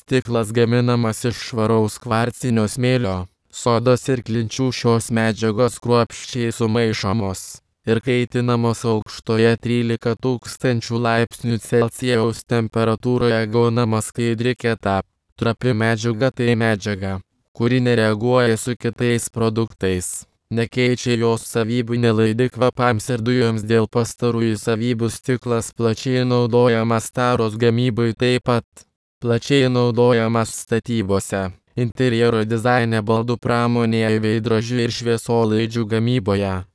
Stiklas gaminamas iš švaraus kvarcinio smėlio. Sodos ir klinčių šios medžiagos kruopščiai sumaišomos ir kaitinamos aukštoje 13 000 laipsnių Celsijaus temperatūroje gaunama skaidri kieta, trapi medžiaga. Tai medžiaga, kuri nereaguoja su kitais produktais, nekeičia jos savybių, nelaidi kvapams ir dujoms. Dėl pastarųjų savybių stiklas plačiai naudojamas taros gamybai, taip pat plačiai naudojamas statybose, interjero dizaine, baldų pramonėje, veidrodžių ir šviesolaidžių gamyboje.